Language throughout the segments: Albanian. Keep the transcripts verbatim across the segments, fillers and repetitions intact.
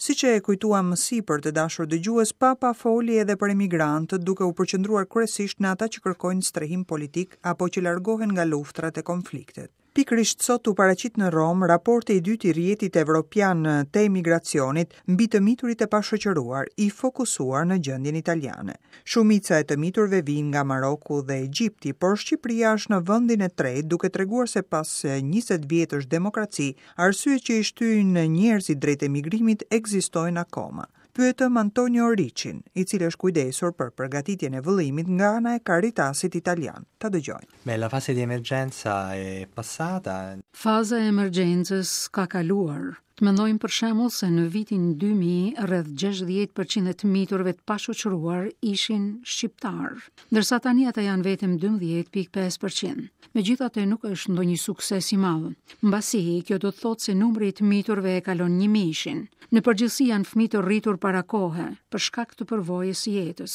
Siç e kujtuam më sipër, të dashur dëgjues, Papa foli edhe për emigrantët, duke u përqendruar kryesisht në ata që kërkojnë strehim politik apo që largohen nga luftrat e konfliktet. Pikërisht sot u paraqit në Romë raporti i dytë i Rrjetit Evropian të Emigracionit mbi të miturit e pashoqëruar, i fokusuar në gjendjen italiane. Shumica e të miturve vijnë nga Maroku dhe Egjipti, por Shqipëria është në vendin e tretë, duke treguar se pas njëzet vjetësh demokraci, arsyet që i shtyjnë njerëzit drejt emigrimit ekzistojnë akoma. Pyetëm Antonio Riccin, i cili është kujdesur për përgatitjen e vëllimit nga ana e Caritasit italian. Ta dëgjojmë. Beh, la fase di emergenza è passata. Faza e emergjencës ka kaluar. Të mendojmë për shembull se në vitin dy mijë rreth gjashtëdhjetë përqind e të miturve të pashoqëruar ishin shqiptar, ndërsa tani ata janë vetëm dymbëdhjetë pikë pesë përqind. Megjithatë nuk është ndonjë sukses i madh. Mbasi, kjo do të thotë se numri i të miturve e kalon një mijëshin. Në përgjithësi janë fëmijë të rritur para kohe, për shkak të përvojës së jetës.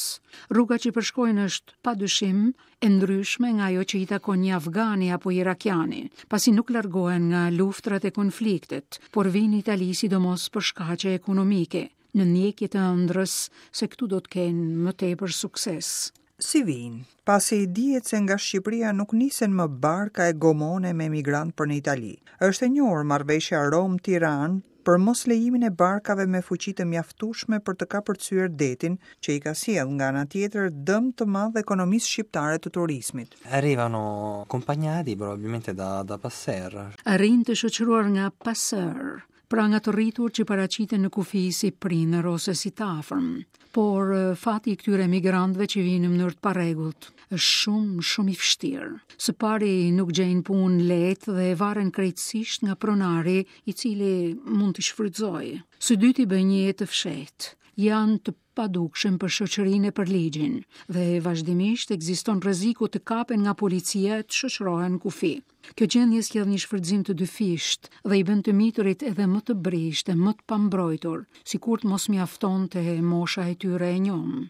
Rruga që përshkojnë është padyshim e ndryshme nga ajo që i takon një afgani apo irakiani, pasi nuk largohen nga luftrat e konfliktet, por vijnë në Itali sidomos për shkaqe ekonomike, në ndjekje të ëndrrës se këtu do të kenë më tepër sukses. Si vijnë? Pasi dihet se nga Shqipëria nuk nisen më barka e gomone me emigrant për në Itali. Është e njohur marrëveshja Rom-Tiranë për mos lejimin e barkave me fuqi të mjaftueshme për të kapërcyer detin, që i ka sjellë nga ana tjetër dëm të madh ekonomisë shqiptare të turizmit. Arrivano accompagnati probabilmente da, da passeur. Arrin të shoqëruar nga passeur, pra nga të rritur që paraqiten në kufi si prindër ose si të afërm. Por, eh, fati i këtyre emigrantëve që vijnë në mënyrë të parregullt është shumë, shumë i vështirë. Së pari nuk gjejnë punë lehtë dhe varen krejtësisht nga pronari, i cili mund t'i shfrytëzojë. Së dyti bëjnë një jetë të fshehtë. Janë të padukshëm për shoqërinë e për ligjin dhe vazhdimisht ekziston rreziku të kapen nga policia e të shoqërohen në kufi. Kjo gjendje sjell një shfrytëzim të dyfisht dhe i bën të miturit edhe më të brishtë e më të pambrojtur, sikur të mos mjaftonte mosha e tyre e njomë.